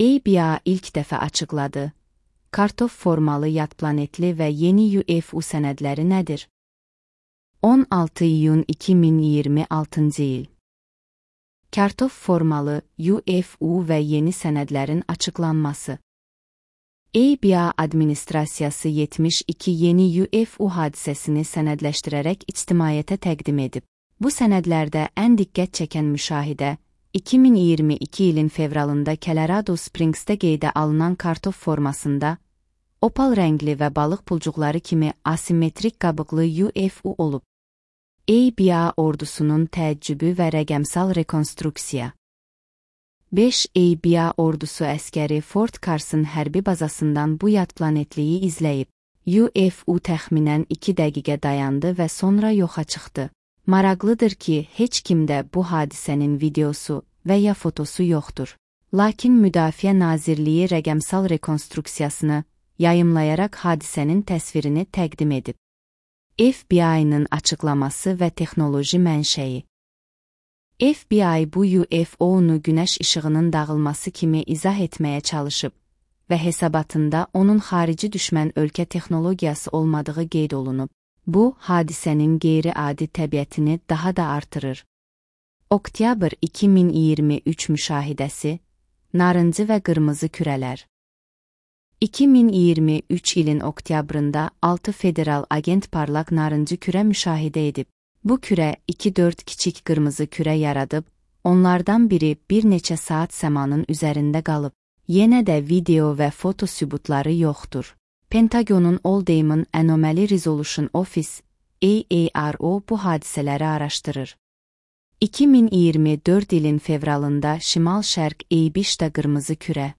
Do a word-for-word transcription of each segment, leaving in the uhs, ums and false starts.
A B A ilk dəfə açıqladı. Kartof formalı yad planetli və yeni U F O sənədləri nədir? on altı iyun iki min iyirmi altıncı il. Kartof formalı U F O və yeni sənədlərin açıqlanması. A B A administrasiyası yetmiş iki yeni U F O hadisəsini sənədləşdirərək ictimaiyyətə təqdim edib. Bu sənədlərdə ən diqqət çəkən müşahidə, iki min iyirmi iki ilin fevralında Colorado Springs'də qeydə alınan kartof formasında, opal rəngli və balıq pulcuqları kimi asimetrik qabıqlı U F O olub. A B A ordusunun təəccübü və rəqəmsal rekonstruksiya. beş A B A ordusu əskəri Fort Carson hərbi bazasından bu yad planetliyi izləyib. U F O təxminən iki dəqiqə dayandı və sonra yoxa çıxdı. Maraqlıdır ki, heç kimdə bu hadisənin videosu və ya fotosu yoxdur. Lakin Müdafiə Nazirliyi rəqəmsal rekonstruksiyasını yayımlayaraq hadisənin təsvirini təqdim edib. F B I-nın açıqlaması və texnoloji mənşəyi. F B I bu U F O-nu günəş işığının dağılması kimi izah etməyə çalışıb və hesabatında onun xarici düşmən ölkə texnologiyası olmadığı qeyd olunub. Bu, hadisənin qeyri-adi təbiətini daha da artırır. Oktyabr iki min iyirmi üç müşahidəsi, narıncı və qırmızı kürələr. iki min iyirmi üç ilin oktyabrında altı federal agent parlaq narıncı kürə müşahidə edib. Bu kürə iki dörd kiçik qırmızı kürə yaradıb, onlardan biri bir neçə saat səmanın üzərində qalıb. Yenə də video və foto sübutları yoxdur. Pentagonun All-Diamond Anomaly Resolution Office, A A R O bu hadisələri araşdırır. iki min iyirmi dörd ilin fevralında Şimal-Şərq Eybişdə qırmızı kürə.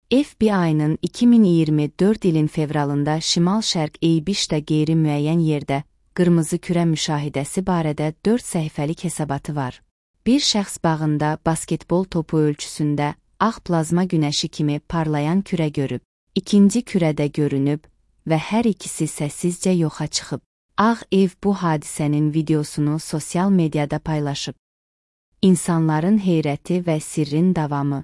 F B I-nın iki min iyirmi dörd ilin fevralında Şimal-Şərq Eybişdə qeyri-müəyyən yerdə qırmızı kürə müşahidəsi barədə dörd səhifəlik hesabatı var. Bir şəxs bağında basketbol topu ölçüsündə ağ plazma günəşi kimi parlayan kürə görüb. İkinci kürədə görünüb və hər ikisi səssizcə yoxa çıxıb. Ağ Ev bu hadisənin videosunu sosial mediada paylaşıb. İnsanların heyrəti və sirrin davamı.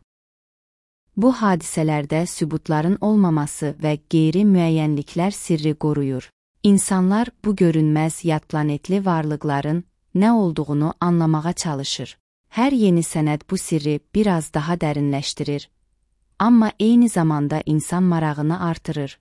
Bu hadisələrdə sübutların olmaması və qeyri-müəyyənliklər sirri qoruyur. İnsanlar bu görünməz yad planetli varlıqların nə olduğunu anlamağa çalışır. Hər yeni sənəd bu sirri biraz daha dərinləşdirir, amma eyni zamanda insan marağını artırır.